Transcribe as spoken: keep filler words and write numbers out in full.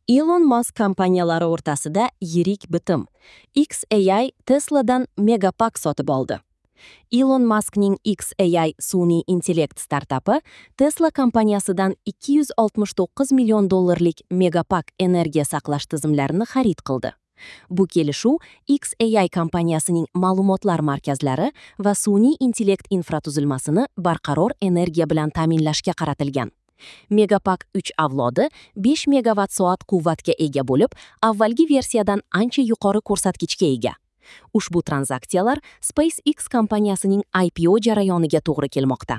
Elon Musk kompaniyalari o'rtasida yirik bitim. X A I Tesla'dan Megapack sotib oldi. Elon Muskning X A I sun'iy intellekt startapi Tesla kompaniyasidan ikki yuz oltmish to'qqiz million dollarlik Megapack energiya saqlash tizimlarini xarid qildi. Bu kelishuv X A I kompaniyasining ma'lumotlar markazlari va sun'iy intellekt infratuzilmasini barqaror energiya bilan ta'minlashga qaratilgan. Megapack uch avlodi besh megavatt soat quvvatga ega bo'lib, avvalgi versiyadan ancha yuqori ko'rsatkichga ega. Ushbu tranzaksiyalar SpaceX kompaniyasining I P O jarayoniga to'g'ri kelmoqda.